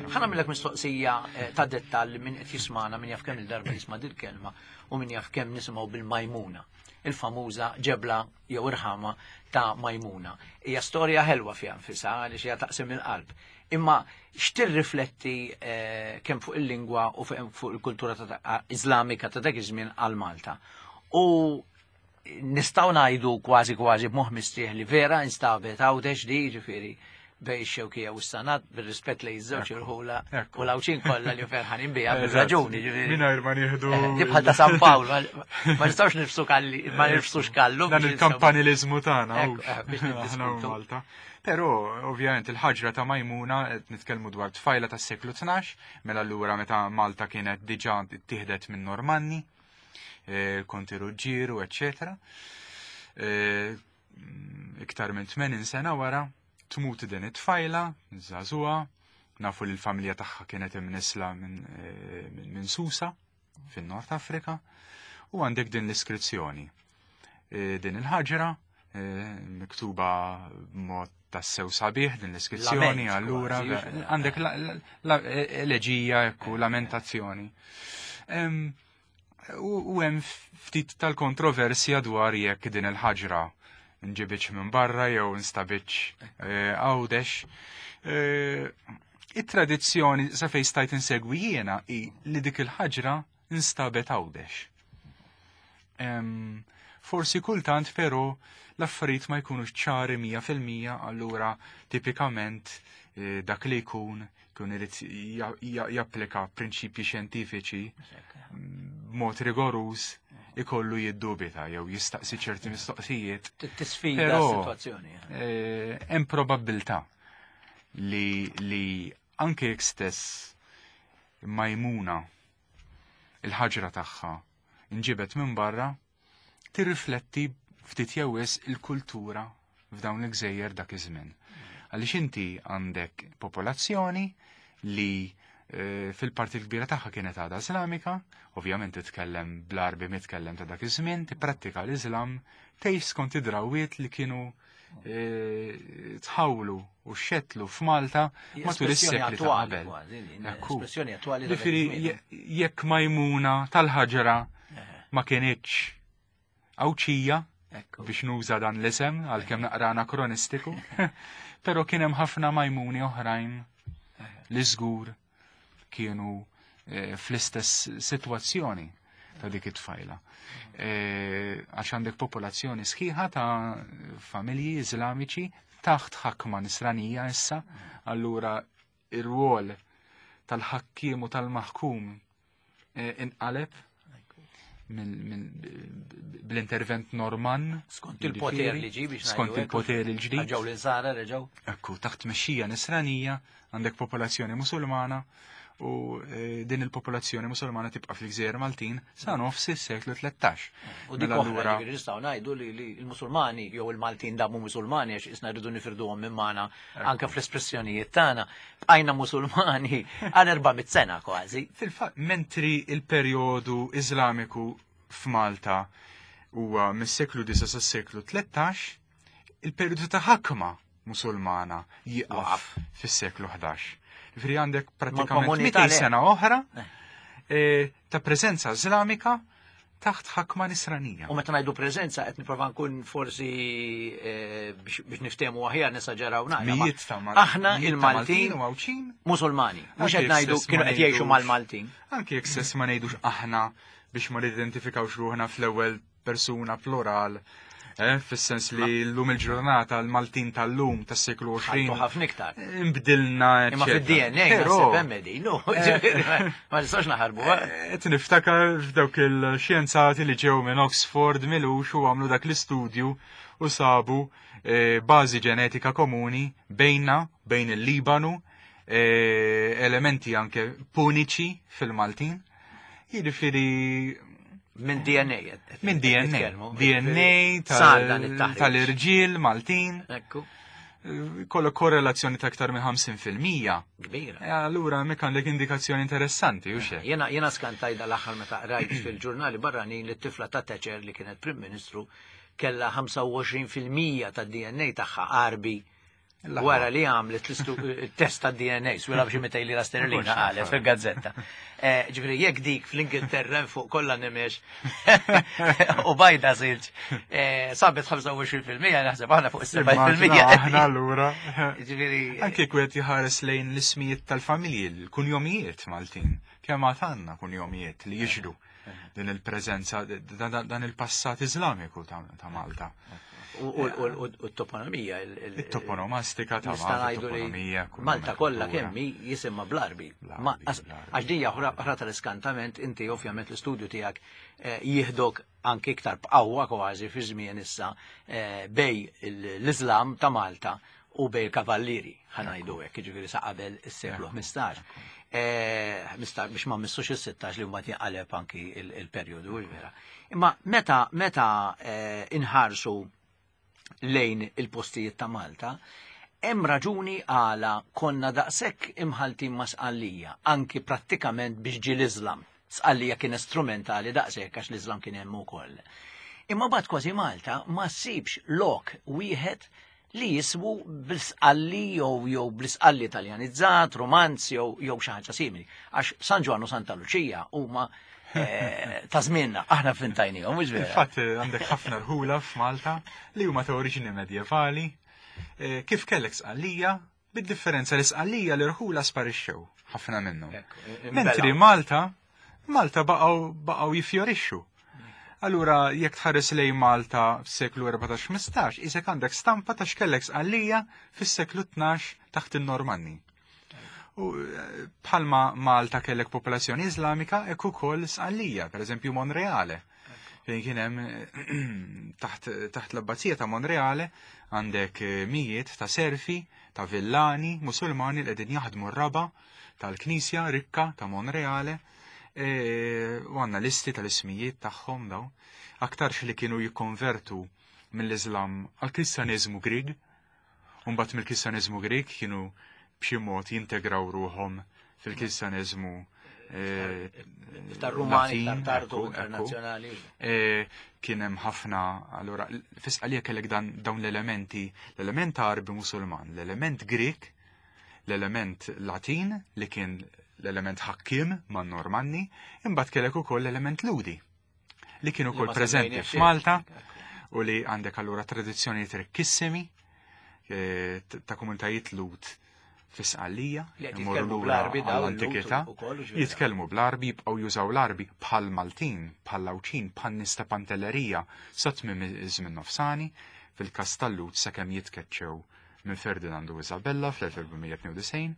Ħa nagħmillek mistoqsija eh, ta' dettall min qed jismana, min jaf kemm il-darba jisma' dil-kelma u min jaf kemm nisimgħu bil-Majmuna, il-famuża ġebla jew irħama ta' Majmuna. Hija storja ħelwa fiha nfisha għaliex hija taqsim il-qalb. Imma x'tirrifletti eh, kemm fuq il-lingwa u fuq fuq il-kultura ta' ta' Iżlamika ta' dak iż-żmien għal Malta. U nistgħu ngħidu kważi kważi b'moħħ mistrieħ li vera instabet Għawdex di ġifieri bejn ix-Xewkija u s-Sannat bir-rispett lejn iż-żewġ irħula Ekku. u l-Għawdxin kollha li ferħanin biha Eżatt. bir-raġuni ġifieri. Mingħajr ma nieħdu. Eh, Di bħal ta' San Pawl, ma ma nistgħux nifsu kalli, ma nifsux kallu. Dan biex il-kampanilizmu tagħna Ekku, hux. eh, biex Aħna u niddiskutu. Malta. Però ovvjament il-ħaġra ta' Majmuna qed nitkellmu dwar tfajla tas-seklu tnax, mela allura meta Malta kienet diġà ittieħdet minn Normanni, eh, Konti Ruġġieru, eċċetera. Eh, Iktar minn tmenin sena wara tmut din it-tfajla, żagħżugħa, nafu li l-familja tagħha kienet imnisla minn eh, minn minn Susa fin-Nord Afrika, u għandek din l-iskrizzjoni. Eh, Din il-ħaġra eh, miktuba b'mod tassew sabiħ din l-iskrizzjoni, Lament allura kważi, ve- għandek la- la- la- eleġija, ekku, lamentazzjoni. Em, U u hemm ftit tal-kontroversja dwar jekk din il-ħaġra nġibitx minn barra jew instabitx eh, Għawdex. Eh, It-tradizzjoni sa fejn stajt insegwi jiena hi li dik il-ħaġra instabet Għawdex. Em, Forsi kultant però l-affarijiet ma jkunux ċari mija fil-mija, allura tipikament eh, dak li jkun jkun irid ja- ja- japplika prinċipji xjentifiċi b'mod rigoruż ikollu jiddubita jew jistaqsi ċerti mistoqsijiet. Tisfida Però, s-sitwazzjoni. eh. Eh, Hemm probabbiltà li, li anke jekk stess Majmuna il-ħaġra tagħha inġibet minn barra tirrifletti ftit jew wisq il-kultura f'dawn il-gżejjer dak iż-żmien. Għaliex inti għandek popolazzjoni li eh, fil-parti l-kbira tagħha kienet għadha Islamika, ovvjament titkellem bl-Arbi mitkellem ta' dak iż-żmien, tipprattika l-Islam, tgħix skont id-drawwiet li kienu eh, tħawlu u xetlu f'Malta matul is-sekli ta' qabel. Espressjoni attwali. Ġifieri jekk Majmuna tal-ħaġra ma kienitx Għawdxija, biex nuża dan l-isem għalkemm naqra anakronistiku, però kien hemm ħafna Majmuni oħrajn li żgur kienu eh, fl-istess sitwazzjoni ta' dik it-tfajla. Eh, għax għandek popolazzjoni sħiħa ta' familji iżlamiċi taħt ħakma nisranija issa, allura ir-rwol tal-ħakkiem u tal-maħkum eh, inqaleb bl-intervent Norman. Skont il-poter li ġi biex Skont il-poter il-ġdid. Ġew l-insara reġgħu. Ekku, taħt mexxija nisranija għandek popolazzjoni musulmana u eh, din il-popolazzjoni musulmana tibqa' fil-Gżejjer Maltin sa nofs is-seklu tlettax. U dik Mela oħra allura ġifieri nistgħu ngħidu li li l-Musulmani jew il-Maltin damu Musulmani għax isna rridu nifirduhom minn magħna anke fl-espressjonijiet tagħna. Bqajna Musulmani għal erba' mitt sena kważi. Fil-fatt, mentri il-perjodu Iżlamiku f'Malta huwa mis-seklu disa sas-seklu tlettax, il-perjodu ta' ħakma musulmana jieqaf Waqaf. fis-seklu ħdax. Ġifieri għandek pratikament Mal-komunità mitejn le. sena oħra Eh. eh, ta' preżenza Iżlamika taħt ħakma nisranija. U meta ngħidu preżenza qed nipprova nkun forsi eh, biex biex niftehmu aħjar nesaġeraw naqra. ma Mijiet ta' Mal- Aħna mijiet ta' il-Maltin u Għawdxin. Musulmani, mhux Anke qed ngħidu jekk stess kienu ma qed jgħixu ngħidux- mal-Maltin. Anke jekk stess ma ngħidux aħna biex ma nidentifikawx ruħna fl-ewwel persuna plural, eh, fis-sens li llum il-ġurnata l-Maltin tal-lum tas-seklu Ħaltu għoxrin ħafna iktar. imbdilna, Imma eċċetera. fid-D N A Però, naħseb hemm qegħdin, no, ġifieri, ma nistax naħarbu. eh. Qed niftakar f'dawk il-xjenzati li ġew minn Oxford milux u għamlu dak l-istudju u sabu eh, bażi ġenetika komuni bejna, bejn il-Libanu, eh, elementi anke puniċi fil-Maltin. Jiġifieri Minn D N A. qed- minn qed D N A. nitkellmu. D N A Sar dan tal- it-taħriġ. tal-irġiel Maltin, Ekku, eh, kollok korrelazzjoni ta' aktar minn ħamsin fil-mija. Kbira. E allura hemmhekk għandek indikazzjoni interessanti, u xek. Jena, jena skantaj dal-aħħar meta rajt fil-ġurnali barranin li t-tifla ta' Thatcher li kienet Prim Ministru kella ħamsa u għoxrin fil-mija ta' D N A tagħha Arbi wara li għamlet il-test ta' D N A, swila b'xi mitej lira sterlina qalet fil-gazzetta. Eh, Ġifieri jekk dik fl-Ingilterra fuq kollha nimex u bajda silġ, eh, sabet ħamsa u għoxrin fil-mija, naħseb aħna fuq is-sebgħa fil-mija. Aħna allura. Ġifieri Anke kwiet jħares lejn l-ismijiet tal-familji, l-kunjomijiet Maltin. Kemm għad għandna kunjomijiet li jixhdu din il-preżenza, dan il-passat Iżlamiku ta' ta' Malta. u u- u t-toponomija. il- il- Il-toponomastika ta' Nista' Malta, ngħidu li toponomija. Malta kollha kemm hi jisimha bl-Arbi. Bl-Arbi, Ma għax bl-Arbi. għax dinja oħra oħra tal-iskantament, inti ovvjament l-istudju tiegħek eh, jieħdok anke iktar b'qawwa kważi fi żmien issa eh, bej l-Islam ta' Malta u bej il-Kavallieri, ħa ngħidu hekk, jiġifieri sa qabel is-seklu ħmistax. Eh, ħmistax biex ma missux is-sittax li mbagħad jinqaleb anki il- il-perjodu vera. Imma meta meta eh, inħarsu lejn il-postijiet ta' Malta, hemm raġuni għala konna daqshekk imħaltin ma' Sqallija, anki prattikament biex ġi l-Islam. Sqallija kien strumentali daqshekk għax l-Islam kien hemm ukoll. Imma bad kważi Malta ma ssibx lok wieħed li jiswu bl-Sqalli jew jew bl-Isqalli Italjanizzat, romanz jew jew xi ħaġa simili. Għax San Ġwann u Santa Luċija huma eh, ta' żmienna, aħna fintajnihom, mhux vera. Infatti għandek ħafna rħula f'Malta li huma ta' oriġini medjevali. Eh, Kif kellek Sqallija, bid-differenza li Sqallija l-irħula sparixxew ħafna minnhom. Ekku, Mentri imbelgħu. Malta, Malta baqgħu baqgħu jifjorixxu. Allura, jekk tħares lejn Malta f'seklu erbatax-ħmistax, isek għandek stampa ta' x'kellek Sqallija fis-seklu tnax taħt in-Normanni. U eh, bħalma Malta kellek popolazzjoni Iżlamika, hekk ukoll Sqallija, per eżempju Monreale. Fejn kien hemm eh, taħt taħt l-abbazija ta' Monreale għandek eh, mijiet ta' serfi, ta' villani, musulmani li qegħdin jaħdmu r-raba tal-knisja rikka ta' Monreale. E, u għandna listi tal-ismijiet tagħhom daw. Aktarx li kienu jikkonvertu mill-Islam għal-Kristjaneżmu Grieg, u mbagħad mill-Kristjaneżmu Grieg kienu b'xi mod jintegraw ruħhom fil-Kristjaneżmu Iktar Rumani, iktar tardu internazzjonali. Kien hemm ħafna, allura fi Sqallija kellek dawn l-elementi, l-element Għarbi Musulman, l-element Grek, l-element Latin li kien l-element ħakkim man Normanni, imbagħad kellek ukoll l-element Ludi li kien ukoll preżenti f'Malta u li għandek allura tradizzjonijiet rikkissimi ta' komunitajiet Lud fi Sqallija, jitkellmu bl-Arbi għall-antikità, jitkellmu bl-Arbi, jibqgħu jużaw l-Arbi bħal Maltin, bħal Lawċin, bħal nies ta' Pantellerija sa tmiem iż-żmien nofsani, fil-każ tal-Lud sakemm jitkeċċew minn Ferdinand u Isabella fl-elf erba' mija tnejn u disgħin.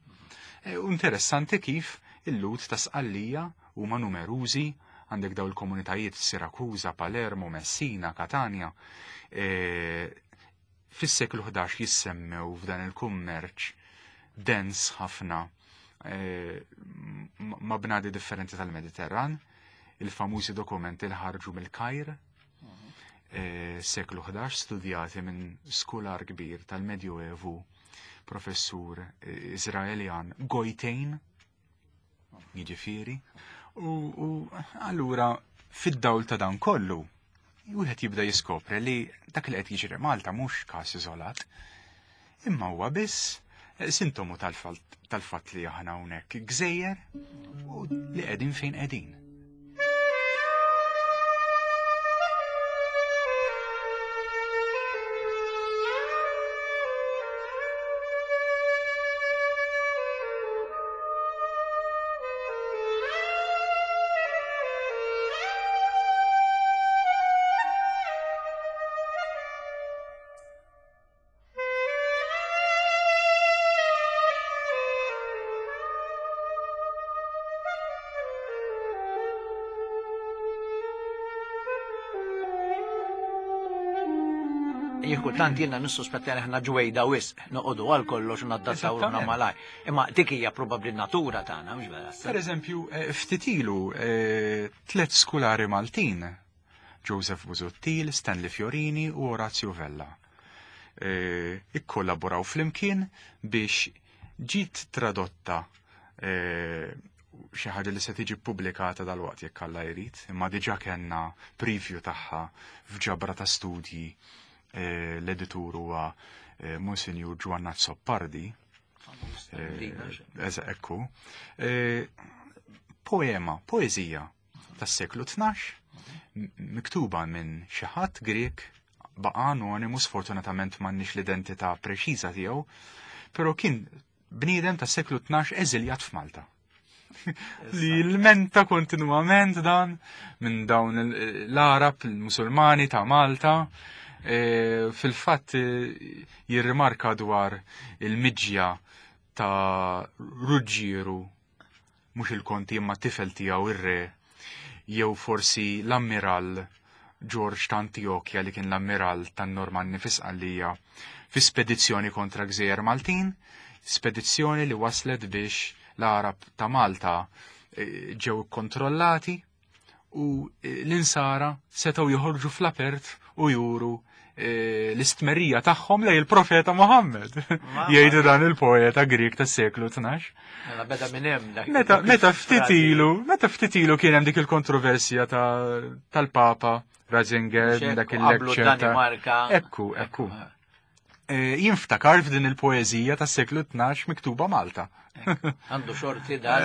U interessanti kif il-Lud ta' Sqallija huma numerużi, għandek daw il-komunitajiet Sirakuza, Palermo, Messina, Katania. Fis-seklu ħdax jissemmew f'dan il-kummerċ dens ħafna ma' bnadi differenti tal-Mediterran, il-famużi dokumenti li ħarġu mill-Kajr, seklu ħdax, studjati minn skular kbir tal-Medjuevu, professur Izraeljan Gojtejn, jiġifieri. U allura fid-dawl ta' dan kollu, wieħed jibda jiskopri li dak li qed jiġri Malta mhux każ iżolat, imma huwa biss sintomu tal-fatt li aħna hawnhekk gżejjer u li qegħdin fejn qegħdin. Kultant jiena nissuspetta li aħna ġwejda wisq, noqogħdu għal kollox u naddattaw ruħna malaj. Imma dik hija probabbli n-natura tagħna, mhux vera? Per eżempju, ftit ilu tliet skulari Maltin, Joseph Busuttil, Stanley Fiorini u Orazio Vella, ikkollaboraw flimkien biex ġiet tradotta xi ħaġa li se tiġi ppubblikata dalwaqt jekk Alla jrid, imma diġà kellna preview tagħha f'ġabra ta' studji. L-editur huwa Monsinjur Giovanna Zoppardi. Ekku. Poema, poeżija tas-seklu tnax, miktuba minn xi ħadd Grek, baqa' anonimu, sfortunatament m'għandniex l-identità preċiża tiegħu, però kien bniedem tas-seklu tnax eżiljat f'Malta. Li l-menta kontinwament dan minn dawn l-Arab, il-Musulmani ta' Malta. Fil-fatt jirrimarka dwar il-miġja ta' Ruġġieru, mhux il-konti imma tifel tiegħu ir-re, jew forsi l-ammiral George ta' Antiochia li kien l-ammiral tan-Normanni fi Sqallija fi spedizzjoni kontra gżejjer Maltin, spedizzjoni li waslet biex l-Arab ta' Malta ġew kontrollati u l-insara setgħu joħorġu fl-apert u juru l-istmerija tagħhom lej il-profeta Muhammad. Jgħidu dan il-poeta Grek tas-seklu tnax. Mela beda minn hemm dak. Meta meta ftit ilu, meta ftit ilu kien hemm dik il-kontroversja tal-Papa Ratzinger dak il-lecture. Ekku, ekku. Jinftakar f'din il-poeżija tas-seklu tnax miktuba Malta. Għandu xorti dan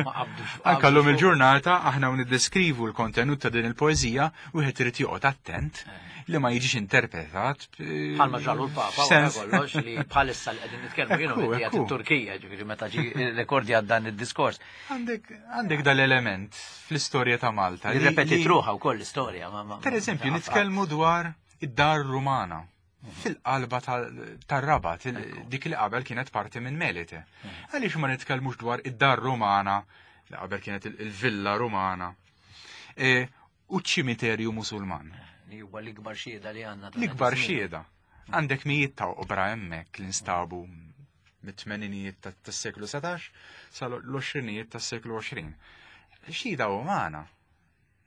ma qabdux. Anka llum il-ġurnata aħna niddeskrivu l-kontenut ta' din il-poeżija wieħed irid joqgħod attent li ma jiġix interpretat. Bħalma ġalu l-Papa wara kollox li bħalissa li qegħdin nitkellmu jienu qiegħed it-Turkija, ġifieri meta ġi rekordja dan id-diskors. Għandek għandek dal-element fl-istorja ta' Malta. Irrepetit ruħha wkoll l-istorja. Per eżempju, nitkellmu dwar id-dar Rumana fil-qalba tar-Rabat, dik li qabel kienet parti minn Melite. Għaliex ma nitkellmux dwar id-dar Rumana, li qabel kienet il-villa Rumana, u ċ-ċimiterju Musulman. Li huwa l-ikbar xhieda li għandna. L-ikbar xhieda. Għandek mijiet ta' oqbra hemmhekk li nstabu mit-tmeninijiet tas-seklu setax sal-għoxrinijiet tas-seklu għoxrin. Xhieda umana.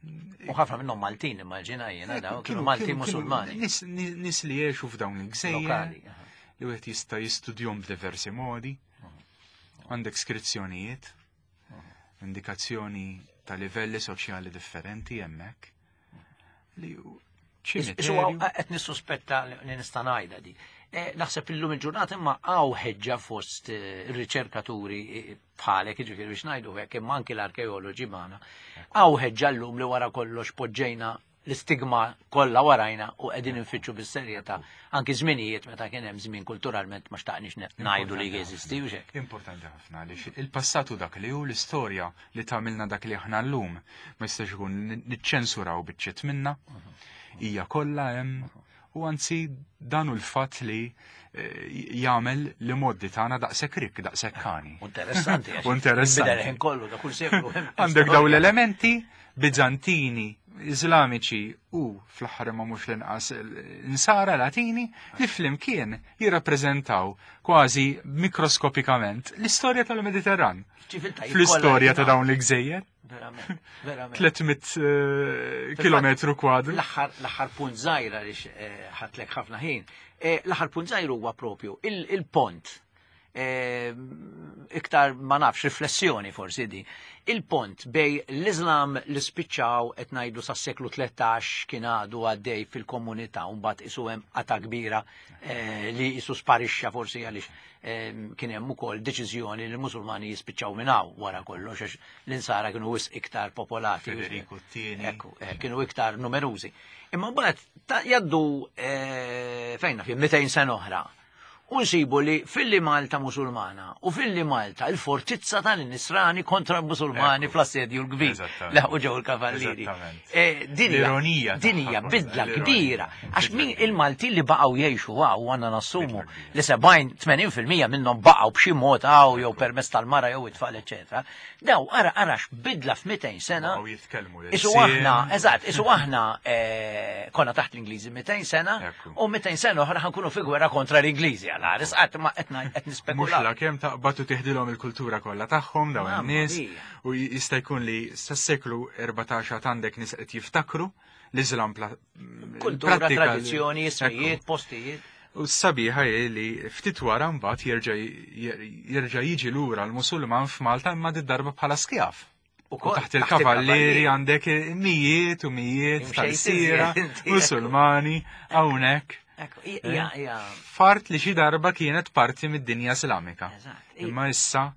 U ħafna minnhom Maltin immaġina jiena daw kienu Maltin Musulmani. Nies li jgħixu f'dawn il-gżejjer li wieħed jista' jistudjhom b'diversi modi. Għandek skrizzjonijiet Indikazzjoni ta' livelli soċjali differenti hemmhekk. Li hu Isu ċimiterju. qed nissuspetta li nista' ngħidha di. Eh, Naħseb illum il-ġurnata imma hawn ħeġġa fost eh, ir-riċerkaturi eh, bħalek, jiġifieri biex ngħidu hekk, imma anki l-arkeoloġi magħna. Hawn ħeġġa llum li wara kollox poġġejna l-istigma kollha warajna u qegħdin infittxu bis-serjetà anki żminijiet meta kien hemm żmien kulturalment ma xtaqniex ngħidu li jeżisti u xek. Importanti ħafna għaliex il-passatu dak li hu, l-istorja li tagħmilna dak li aħna llum, ma jistax ikun niċċensuraw biċċiet minna, hija kollha hemm, u anzi dan hu l-fatt li eh, jagħmel li moddi tagħna daqshekk rik, daqshekk kani. Interessanti. Għax U interessanti. Bidel ħin kollu da kull seklu hemm Għandek daw storja. l-elementi Bizantini, Iżlamiċi u fl-aħħar ma mhux l-inqas Insara Latini li flimkien jirrappreżentaw kważi mikroskopikament l-istorja tal-Mediterran. Ċiviltajiet Fl-istorja kollha ta' dawn l-gżejjer, Verament, verament. tliet mitt eh, kilometru kwadru. L-aħħar l-aħħar punt żgħira għaliex eh, ħadtlek ħafna ħin. Eh, L-aħħar punt żgħir huwa propju il- il-pont. Eh, Iktar ma nafx riflessjoni forsi di. Il-pont bejn l-Islam li spiċċaw qed ngħidu sas-seklu tlettax kien għadu għaddej fil-komunità u mbagħad isu hemm qata kbira eh, li isu sparixxa forsi għaliex eh, kien hemm ukoll deċiżjoni li l-Musulmani jispiċċaw minn hawn wara kollox għax l-insara kienu wisq iktar popolati. Federico t-tieni. Ekku, eh, kienu iktar numerużi. Imma mbagħad ta' jaddu eh, fejna fi mitejn sena oħra. U nsibu li filli Malta musulmana u filli Malta il-fortizza tal-Nisrani kontra l-Musulmani Ekku. fl-assedju l-kbir. Eżattament. Laħqu ġew il-kavallieri. Eżattament. Eh, din hija- L-ironija Din hija tagħha bidla kollha, kbira. l-ironija. Għax Bidla min kbira. il-Malti li baqgħu jgħixu għaw għandna nassumu Bidla kbira. li sebgħin tmenin fil-mija minnhom baqgħu b'xi mod għaw jew permezz tal-mara jew it-tfal, eċetera. Daw ara arax bidla f'mitejn sena. Baqgħu jitkellmu Isu l-ilsien. aħna, eżatt, isu aħna eh, konna taħt l-Ingliżi mitejn sena Ekku. u mitejn sena oħra ħankunu fi gwerra kontra l-Ingliżi għal ħares qatt ma qed qed Mhux nispekulaw. la kemm taqbad u tiħdilhom il-kultura kollha tagħhom dawn Mamma in-nies mia. u jista' jkun li sas-seklu erbatax għad għandek nies qed jiftakru l-Iżlam pla- Kultura, prattika li- tradizzjoni, ismijiet, Ekku. postijiet. U s-sabiħa hi li ftit wara mbagħad jerġa' jerġa' jiġi lura l-Musulman f'Malta imma darba bħala skjav. U U kol, taħt il-kavallieri għandek mijiet u mijiet Imxejt tal-sira, iżjed inti, Musulmani, hawnhekk. Ekku, hija hija Fart li xi darba kienet parti mid-dinja Islamika. Eżatt. Imma issa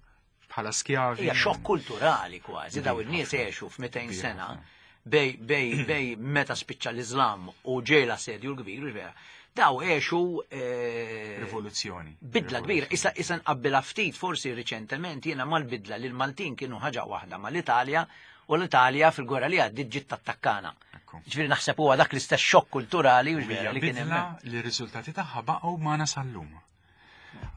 bħala skjavi. Hija xokk kulturali kważi, daw in-nies għexu f'mitejn Kbir sena ħafna. bej bej bej meta spiċċa l-Iżlam u ġej l-assedju l-kbir, u vera. Daw għexu eh, Rivoluzzjoni. bidla kbira. Issa issa nqabbilha ftit forsi riċentement jiena mal-bidla li l-Maltin kienu ħaġa waħda mal-Italja u l-Italja fil-gwerra li għaddiet ġiet tattakkana. Ekku. Ġifieri naħseb huwa dak l-istess xokk kulturali u U hija ġifieri li kien bidla hemm. li r-riżultati tagħha baqgħu magħna sal-lum.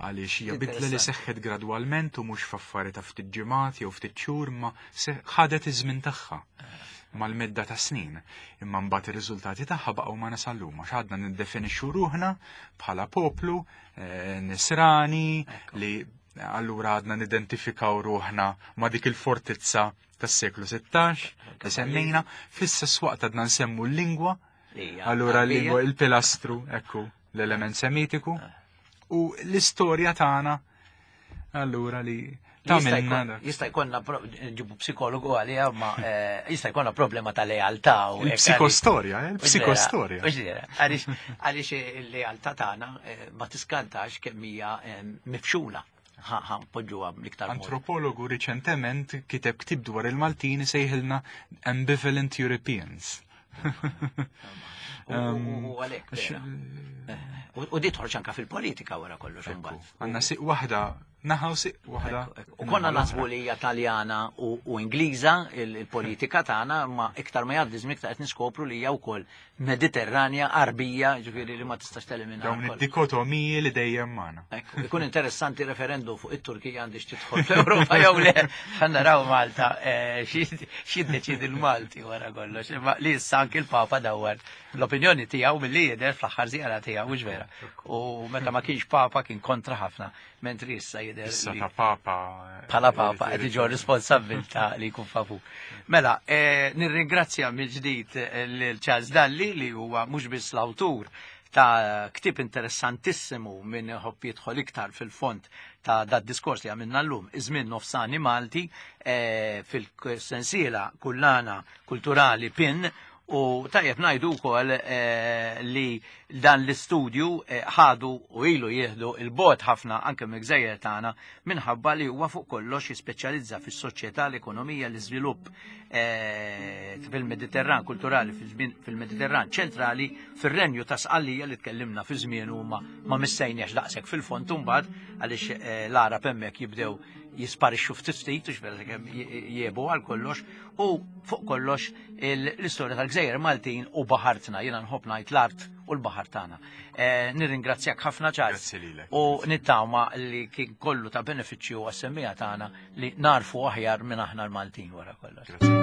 Għaliex hija bidla li Interessanti. seħħet gradwalment u mhux f'affari ta' ftit ġimgħat jew ftit xhur ma se- ħadet iż-żmien tagħha mal-medda ta' snin. Imma mbagħad ir-riżultati tagħha baqgħu magħna sal-lum għax għadna niddefinixxu ruħna bħala poplu eh, nisrani li allura għadna nidentifikaw ruħna ma' dik il-fortizza tas-seklu sittax li semmejna, fl-istess waqt għadna nsemmu l-lingwa. Hija Allura Għarbija. l-lingwa, il-pilastru, ekku, l-element semitiku u l-istorja tagħna allura li Jista' tagħmilna jkun- dak. Jista' jkollna pro- ġibu psikologu għalija, ma eh, jista' jkollna problema ta' lealtà u hekk. Il-psikostorja, eh, għaliex- il-psikostorja. Mhux vera, Għaliex għaliex il-lealtà tagħna eh, ma tiskantax kemm hija eh, mifxula. Ħa ħa npoġġuha bl-iktar mod. Antropologu riċentement kiteb ktib dwar il-Maltin sejħilna Ambivalent Europeans. U- U u għalhekk Għax, vera. U u di toħroġ anke fil-politika wara kollox imbagħad. Għandna siq waħda, naħa u siq waħda. U konna naħsbu li hija Taljana u, u Ingliża il- il-politika tagħna, ma iktar ma jgħaddi żmien iktar qed niskopru li hija wkoll Mediterranja, Arbija, ġifieri li ma tistax telimina. Dawn id-dikotomiji li dejjem magħna. Ekku, ikun interessanti referendum fuq it-Turkija għandix tidħol fl-Ewropa jew le. Ħa naraw Malta eh, xi xi ddeċidi l-Malti wara kollox. Imma li issa anki l-Papa dawar l-opinjoni tiegħu milli jidher fl-aħħar żjara tiegħu, mhux vera. U meta ma kienx Papa kien kontra ħafna, mentri issa jidher Issa li ta' Papa. bħala Papa qed iġorr responsabbiltà li jkun favur. Mela, eh, nirringrazzja mill-ġdid eh, lil Charles Dalli li huwa mhux biss l-awtur ta' ktib interessantissimu minn iħobb jidħol iktar fil-fond. ta' dat diskors li għamilna llum, iż-żmien nofsani Malti eh, fil-sensiela kullana kulturali PIN. U tajjeb ngħidu wkoll eh, li dan l-istudju eh, ħadu u ilu jieħdu il-bot ħafna anke mill-gżejjer tagħna minħabba li huwa fuq kollox jispeċjalizza fis-soċjetà, l-ekonomija, l-iżvilupp eh, fil-Mediterran kulturali, fil-Mediterran ċentrali, fir-renju ta' Sqallija li tkellimna fi żmien u ma, ma missejniex daqshekk fil-fond imbagħad għaliex l-Arab hemmhekk jibdew jisparixxu ftit ftit u x'vera kemm jiebu għal kollox, u fuq kollox l-istorja tal-Gżejjer Maltin u baħartna, jiena nħobb ngħid l-art u l-baħar tagħna. Eh, nirringrazzjak ħafna Charles. Grazzi lilek. U nittama li kien kollu ta' benefiċċju għas-semmija tagħna li narfu aħjar minn aħna l-Maltin wara kollox. Grazzi.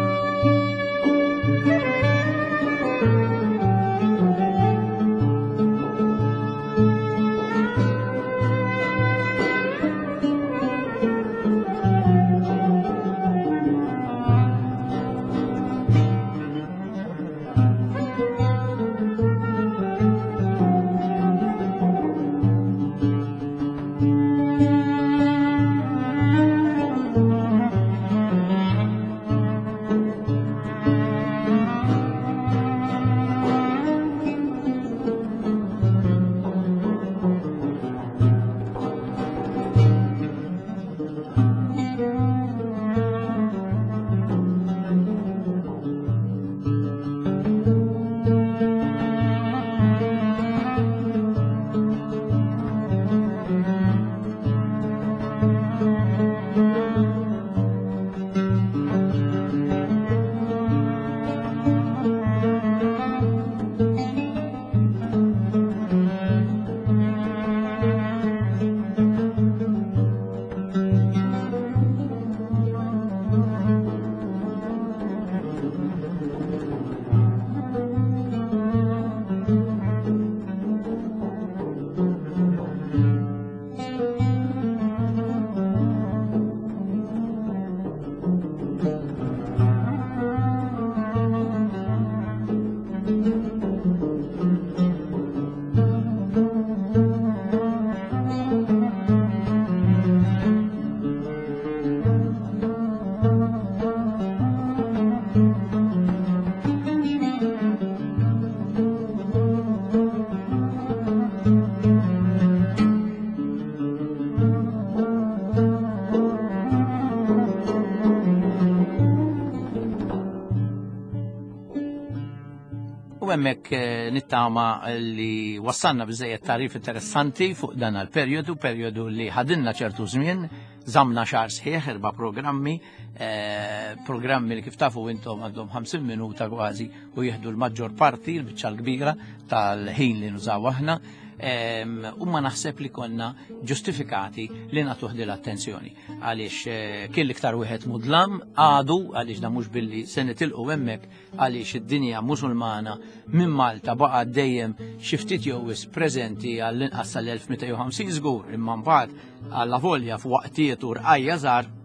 U hemmhekk nittama li wassalna biżejjed tarif interessanti fuq dan għal-perjodu, perjodu li ħadinna ċertu żmien, żamna xahar sħiħ, erba' programmi, eh, programmi li kif tafu intom għandhom ħamsin minuta kważi u jieħdu l-maġġor parti, l-biċċa l-kbira tal-ħin li nużaw aħna. U ma naħseb li konna ġustifikati li nagħtuh din l-attenzjoni għaliex kien l-iktar wieħed mudlam għadu, għaliex da mhux billi se nitilqu hemmhekk, għaliex id-dinja musulmana minn Malta baqa' dejjem xi ftit jew wisq preżenti għall-inqas sal-elf mitejn u ħamsin żgur, imma mbagħad għalla volja f'waqtiet u rqajja żgħar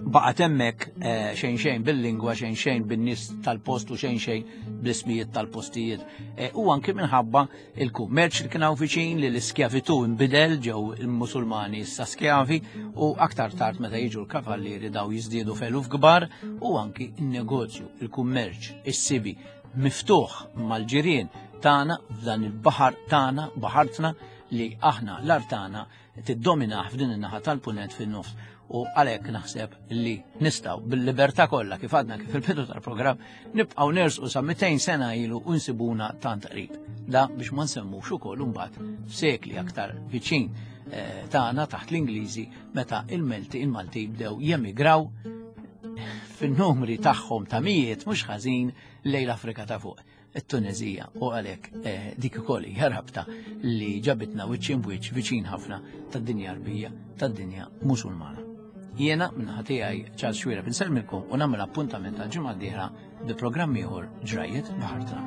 baqgħet hemmhekk xejn xejn bil-lingwa, xejn xejn bin-nies tal-post u xejn xejn bl-ismijiet tal-postijiet. U anke minħabba il-kummerċ li kien hawn viċin, li l-iskjavitu nbidel, ġew il-Musulmani issa skjavi, u aktar tard meta jiġu l-kavallieri daw jiżdiedu f'eluf kbar, u anki n-negozju, il-kummerċ, is-sibi miftuħ mal-ġirien tagħna f'dan il-baħar tagħna, baħartna li aħna l-art tagħna tiddominaħ f'din in-naħa tal-punent fin-nofs. U għalhekk naħseb li nistgħu bil-libertà kollha kif għadna kif il-bidu tal-programm nibqgħu nersqu sa mitejn sena ilu u nsibuna tant qrib. Da biex ma nsemmux ukoll imbagħad f'sekli aktar viċin tagħna taħt l-Ingliżi meta il-Melti il-Malti bdew jemigraw fin-numri tagħhom ta' mijiet mhux ħażin lejn l-Afrika ta' fuq, it-Tunezija, u għalhekk dik ukoll hija rabta li ġabitna wiċċ imbwiċċ viċin ħafna tad-dinja Arbija, tad-dinja Musulmana. Jiena minnaħa tiegħi Charles Xuereb insellmilkom u nagħmel appuntament għal ġimgħa d-dieħla bi programm ieħor Ġrajjiet Baħartna.